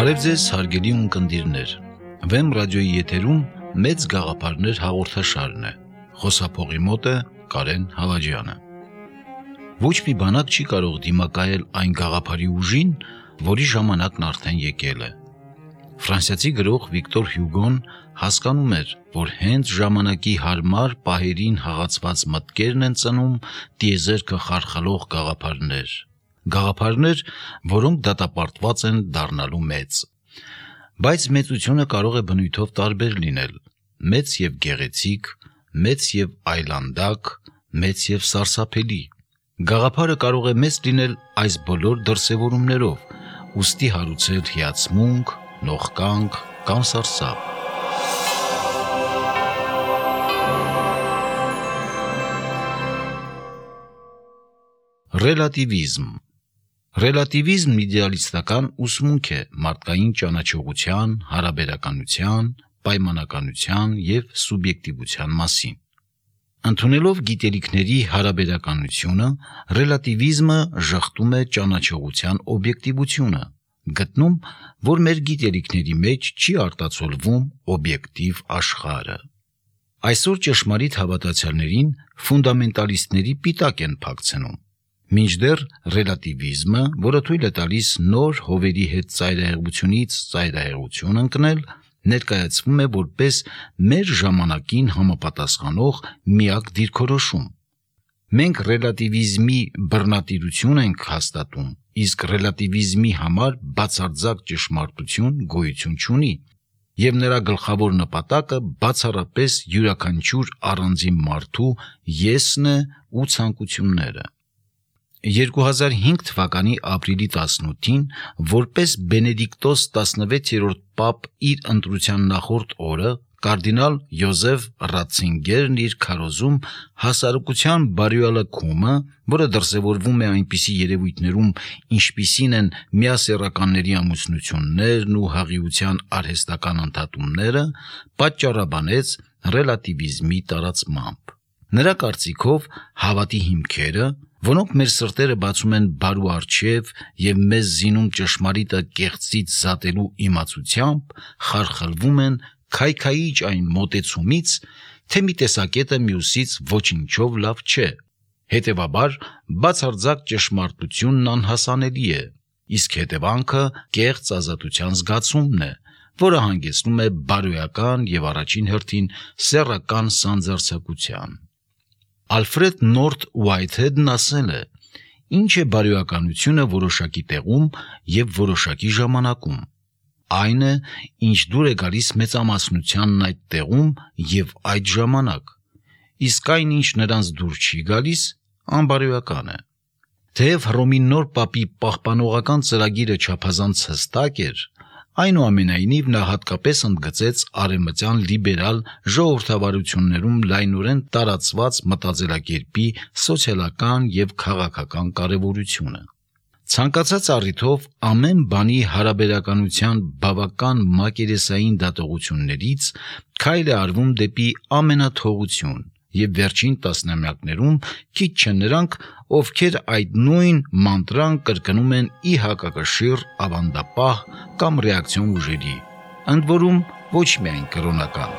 Բարև ձեզ հարգելի ունկնդիրներ, Վեմ ռադիոյի եթերում մեծ գաղափարներ հաղորդաշարն է, խոսափողի մոտ է Կարեն Հավաջյանը։ Ոչ մի բանակ չի կարող դիմակայել այն գաղափարի ուժին, որի ժամանակն արդեն եկել է։ Ֆրանսիացի գրող Վիկտոր Հյուգոն հասկանում էր, որ հենց ժամանակի հարմար պահերին հաղացված մտքերն են ծնում տիեզերքը խարխալող գաղափարներ, որոնք դատապարտված են դառնալու մեծ։ Բայց մեծությունը կարող է բնույթով տարբեր լինել՝ մեծ եւ գեղեցիկ, մեծ եւ այլանդակ, մեծ եւ սարսափելի։ Գաղափարը կարող է մեծ լինել այս բոլոր դրսևորումներով, ուստի հարուցել հիացմունք, նողկանք կամ սարսափ։ Ռելատիվիզմն իդեալիստական ուսմունք է մարդկային ճանաչողության, հարաբերականության, պայմանականության եւ սուբյեկտիվության մասին։ Ընդունելով գիտելիքների հարաբերականությունը, ռելատիվիզմը ժխտում է ճանաչողության օբյեկտիվությունը, գտնում, որ մեր գիտելիքների մեջ չի արտացոլվում օբյեկտիվ աշխարհը։ Այսօր ճշմարիտ հավատացյալներին ֆունդամենտալիստների պիտակ են փակցնում, մինչդեռ ռելատիվիզմը, որը թույլ է տալիս նոր հովերի հետ ծայրահեղությունից ծայրահեղություն ընկնել, ներկայացվում է որպես մեր ժամանակին համապատասխանող միակ դիրքորոշում։ Մենք ռելատիվիզմի բռնատիրություն ենք հաստատում, իսկ ռելատիվիզմի համար բացարձակ ճշմարտություն գոյություն չունի, եւ նրա գլխավոր նպատակը բացառապես յուրաքանչյուր առանձին մարդու եսն է ու ցանկությունները։ 2005 թվականի ապրիլի 18-ին, որպես Բենեդիկտոս 16-րդ պապ իր ընտրության նախորդ օրը, կարդինալ Յոզեֆ Ռատցինգերն իր քարոզում հասարակության բարոյալքումը, որը դրսևորվում է այնպիսի երևույթներում, ինչպիսին են միասեռականների ամուսնություններն ու հղիության արհեստական ընդհատումները, պատճառաբանեց ռելատիվիզմի տարածմամբ։ Նրա կարծիքով հավատի հիմքերը, որոնք մեր սրտերը բացում են բարու առջև եւ մեզ զինում ճշմարիտը կեղծից զատելու իմացությամբ, խարխլվում են քայքայիչ այն մոտեցումից, թե մի տեսակետը մյուսից ոչինչով լավ չէ։ Հետևաբար, բացարձակ ճշմարտությունն անհասանելի է, իսկ հետևանքը կեղծ ազատության զգացումն է, որը հանգեցնում է բարոյական եւ առաջին հերթին սեռական սանձարձակության։ Ալֆրեդ Նորթ Ուայթհեդն ասել է. «Ինչ է բարոյականությունը որոշակի տեղում եւ որոշակի ժամանակում։ Այն է, ինչ դուր է գալիս մեծամասնությանն այդ տեղում եւ այդ ժամանակ, իսկ այն, ինչ նրանց դուր չի գալիս, անբարոյական է»։ Թեև Հռոմի նոր պապի պահպանողական ծրագիրը չափազանց հստակ էր, այնուամենայնիվ նա հատկապես ընդգծեց արևմտյան լիբերալ ժողովրդավարություններում լայնորեն տարածված մտածելակերպի սոցիալական եւ քաղաքական կարեւորությունը։ Ցանկացած առիթով ամեն բանի հարաբերականության բավական մակերեսային դատողություններից քայլ է արվում դեպի ամենաթողություն, եւ վերջին տասնամյակներում քիչ չեն նրանք, ովքեր այդ նույն մանտրան կրկնում են ի հակակշիռ ավանդապահ կամ ռեակցիոն ուժերի, ընդ որում ոչ միայն կրոնական։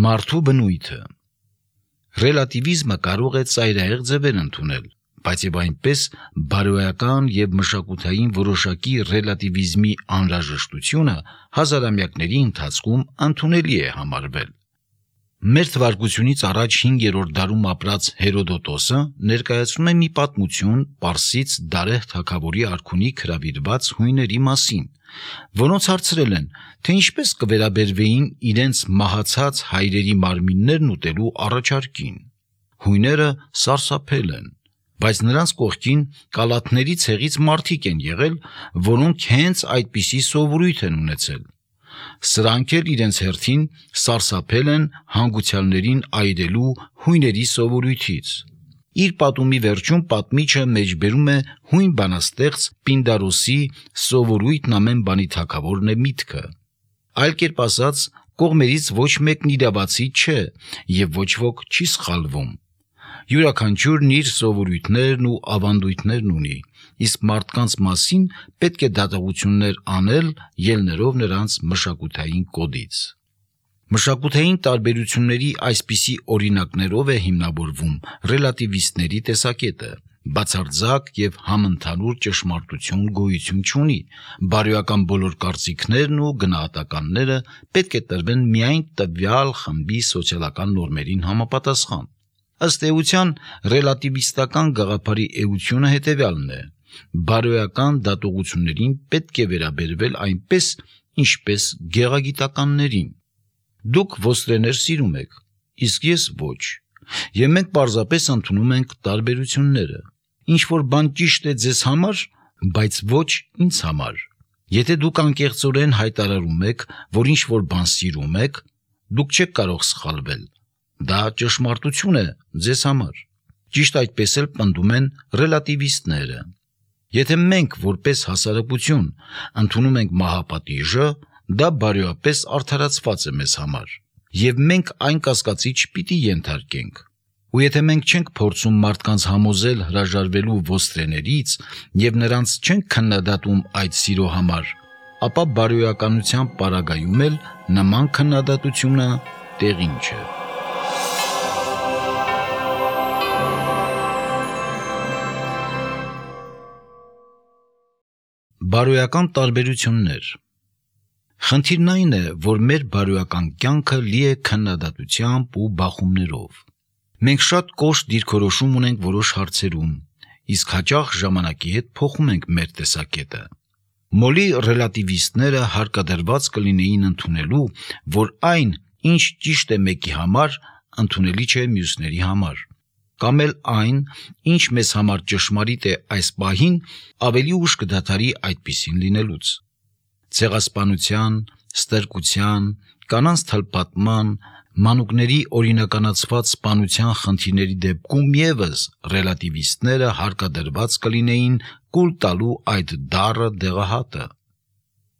Մարդու բնույթը։ Ռելատիվիզմը կարող է ծայրահեղ ձևեր ընդունել, բայց եւ այնպես բարոյական եւ մշակութային որոշակի ռելատիվիզմի անհրաժեշտությունը հազարամյակների ընթացքում ընդունելի է համարվել։ Մեր թվարկությունից առաջ 5-րդ դարում ապրած Հերոդոտոսը ներկայացնում է մի պատմություն պարսից Դարեհ թագավորի արքունիք հրավիրված հույների մասին, որոնց հարցրել են, թե ինչպես կվերաբերվեին իրենց մահացած հայրերի մարմիններն ուտելու առաջարկին։ Հույները սարսափել են, բայց նրանց կողքին կալաթների ցեղից մարդիկ են եղել, որոնք հենց այդպիսի սովորույթ են ունեցել։ Սրանք էլ իրենց հերթին սարսափել են հանգուցյալներին այրելու հույների սովորույթից։ Իր պատումի վերջում պատմիչը մեջբերում է հույն բանաստեղծ Պինդարոսի սովորույթն ամեն բանի թագավորն է միտքը։ Այլ կերպ ասած, կողմերից ոչ մեկն իրավացի չէ եւ ոչ ոք չի սխալվում։ Յուրաքանչյուրն իր սովորույթներն ու ավանդույթներն ունի, իսկ մարդկանց մասին պետք է դատողություններ անել, ելներով նրանց մշակութային կոդից։ Մշակութային տարբերությունների այսպիսի օրինակներով է հիմնավորվում ռելատիվիստների տեսակետը։ Բացարձակ և համընդհանուր ճշմարտություն գոյություն չունի, բարոյական բոլոր կարծիքներն ու գնահատականները պետք է տրվեն միայն տվյալ խմբի սոցիալական նորմերին համապատասխան։ Ըստ էության, ռելատիվիստական գաղափարի էությունը հետևյալն է. բարոյական դատողություններին պետք է վերաբերվել այնպես, ինչպես գեղագիտականներին։ Դուք ոստրեներ սիրում եք, իսկ ես ոչ, և մենք պարզապես ընդունում ենք տարբերությունները։ Ինչ-որ բան ճիշտ է ձեզ համար, բայց ոչ ինձ համար։ Եթե դուք անկեղծորեն հայտարարում եք, որ ինչ-որ բան սիրում եք, դուք չեք կարող սխալվել։ Դա ճշմարտություն է ձեզ համար։ Ճիշտ այդպես էլ պնդում են ռելատիվիստները։ Եթե մենք, որպես հասարակություն, ընդունում ենք մահապատիժը, դա բարոյապես արդարացված է մեզ համար, և մենք այն կասկածի չպիտի ենթարկենք։ Ու եթե մենք չենք փորձում մարդկանց համոզել հրաժարվելու ոստրեներից և նրանց չենք քննադատում այդ սիրո համար, ապա բարոյականության պարագայում էլ նման քննադատությունը տեղին չէ։ Բարոյական տարբերություններ։ Խնդիրն այն է, որ մեր բարոյական կյանքը լի է քննադատությամբ ու բախումներով։ Մենք շատ կոշտ դիրքորոշում ունենք որոշ հարցերում, իսկ հաճախ ժամանակի հետ փոխում ենք մեր տեսակետը։ Մոլի ռելատիվիստները հարկադրված կլինեին ընդունելու, որ այն, ինչ ճիշտ է մեկի համար, ընդունելի չէ մյուսների համար, կամ էլ այն, ինչ մեզ համար ճշմարիտ է այս պահին, ավելի ուշ կդադարի այդպիսին լինելուց։ Ցեղասպանության, ստրկության, կանանց թլփատման, մանուկների օրինականացված սպանության խնդիրների դեպքում ևս ռելատիվիստները հարկադրված կլինեին կուլ տալու այդ դառը դեղահատը։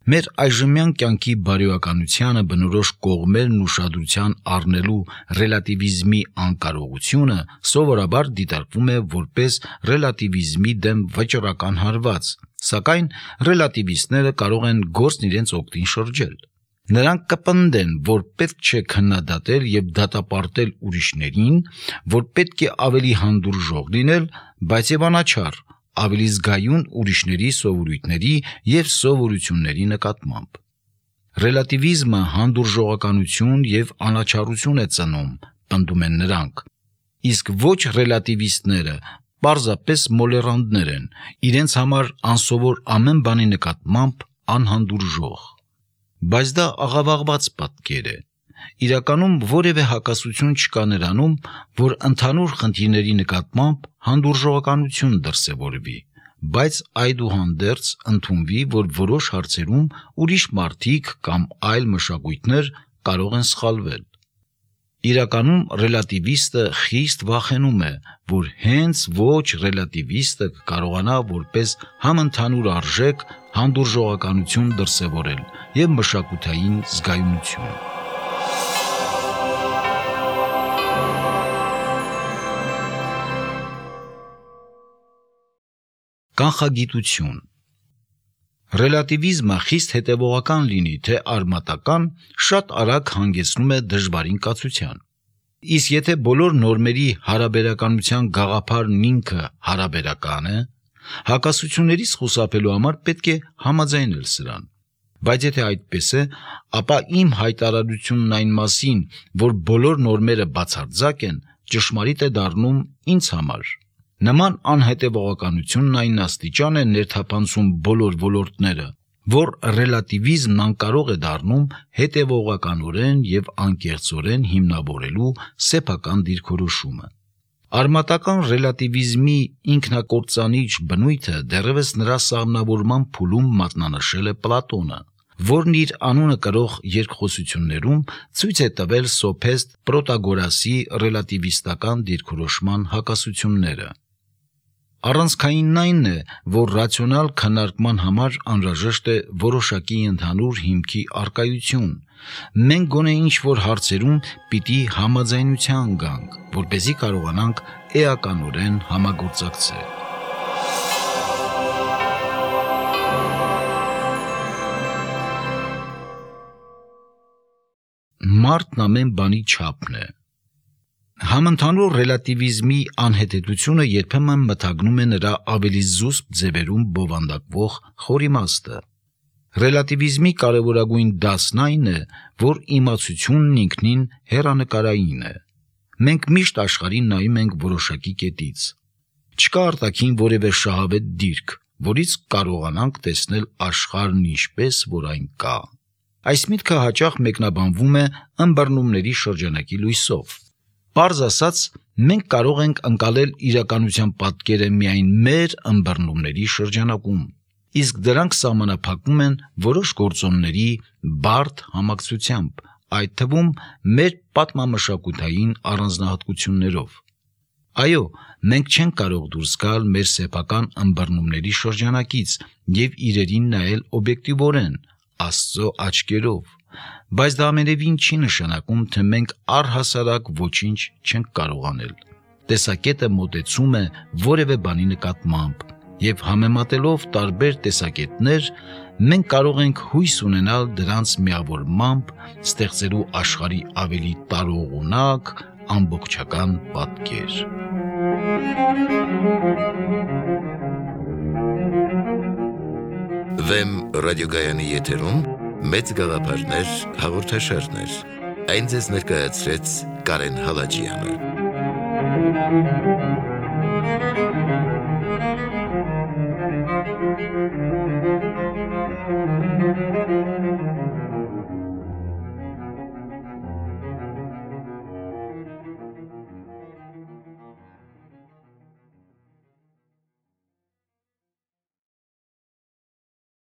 Մեր այժմյան կյանքի բարոյականությանը բնորոշ կողմերն ուշադրության առնելու ռելատիվիզմի անկարողությունը սովորաբար դիտարկվում է որպես ռելատիվիզմի դեմ վճռական հարված, սակայն ռելատիվիստները կարող են գործն իրենց օգտին շրջել։ Նրանք կպնդեն, որ պետք չէ քննադատել և դատապարտել ուրիշներին, որ պետք է ավելի հանդուրժող լինել, բայց և անաչառ, ավելի զգայուն ուրիշների սովորույթների և սովորությունների նկատմամբ։ Ռելատիվիզմը հանդուրժողականություն և անաչառություն է ծնում, պնդում են նրանք, իսկ ոչ ռելատիվիստները պարզապես մոլեռանդներ են, իրենց համար անսովոր ամեն բանի նկատմամբ անհանդուրժող։ Բայց դա աղավաղված պատկեր է։ Իրականում որևէ հակասություն չկա նրանում, որ ընդհանուր խնդիրների նկատմամբ հանդուրժողականություն դրսևորվի, բայց այդուհանդերձ ընդունվի, որ որոշ հարցերում ուրիշ մարդիկ կամ այլ մշակույթներ կարող են սխալվել։ Իրականում ռելատիվիստը խիստ վախենում է, որ հենց ոչ ռելատիվիստը կարողանա որպես համընդհանուր արժեք հանդուրժողականություն դրսևորել և մշակութային զգայունություն։ Կանխագիտություն։ Ռելատիվիզմը խիստ հետևողական լինի, թե արմատական, շատ արագ հանգեցնում է դժվարին կացության։ Իսկ եթե բոլոր նորմերի հարաբերականության գաղափարն ինքը հարաբերական է, հակասություններից խուսափելու համար պետք է համաձայնել սրան։ Բայց եթե այդպես է, ապա իմ հայտարարությունն այն մասին, որ բոլոր նորմերը բացարձակ են, ճշմարիտ է դառնում ինձ համար։ Նման անհետևողականությունն այն աստիճան է ներթափանցում բոլոր ոլորտները, որ ռելատիվիզմն անկարող է դառնում հետևողականորեն և անկեղծորեն հիմնավորելու սեփական դիրքորոշումը։ Արմատական ռելատիվիզմի ինքնակործանիչ բնույթը դեռևս նրա սահմանավորման փուլում մատնանշել է Պլատոնը, որն իր անունը կրող երկխոսություններում ցույց է տվել սոփեստ Պրոտագորասի ռելատիվիստական դիրքորոշման հակասությունները։ Առանցքայինն այն է, որ ռացիոնալ քննարկման համար անհրաժեշտ է որոշակի ընդհանուր հիմքի առկայություն։ Մենք գոնե ինչ-որ հարցերում պիտի համաձայնության գանք, որպեսզի կարողանանք էականորեն համագործակցել։ Մարդն ամեն բանի չափն է։ Համընդհանուր ռելատիվիզմի անհետեթությունը երբեմն մթագնում է նրա ավելի զուսպ ձևերում բովանդակվող խոր իմաստը։ Ռելատիվիզմի կարևորագույն դասն այն է, որ իմացությունն ինքնին հեռանկարային է։ Մենք միշտ աշխարհին նայում ենք որոշակի կետից։ Չկա արտաքին որևէ շահավետ դիրք, որից կարողանանք տեսնել աշխարհն ինչպես որ այն կա։ Այս միտքը հաճախ մեկնաբանվում է ըմբռնումների շրջանակի լույսով։ Պարզ ասած, մենք կարող ենք ընկալել իրականության պատկերը միայն մեր ըմբռնումների շրջանակում, իսկ դրանք սահմանափակվում են որոշ գործոնների բարդ համակցությամբ, այդ թվում մեր պատմամշակութային առանձնահատկություններով։ Այո, մենք չենք կարող դուրս գալ մեր սեփական ըմբռնումների շրջանակից և իրերին նայել օբյեկտիվորեն, Աստծո աչքերով, բայց դա ամենևին չի նշանակում, թե մենք առհասարակ ոչինչ չենք կարող անել։ Տեսակետը մոտեցում է որևէ բանի նկատմամբ, և համեմատելով տարբեր տեսակետներ, մենք կարող ենք հույս ունենալ դրանց միավորմամբ ստեղծելու աշխարհի ավելի տարողունակ, ամբողջական պատկեր։ Վեմ ռադիոգայանի եթերում մեծ գաղափարներ հաղորդաշարներ։ Այն ձեզ ներկայացրեց Կարեն Հալաջյանը։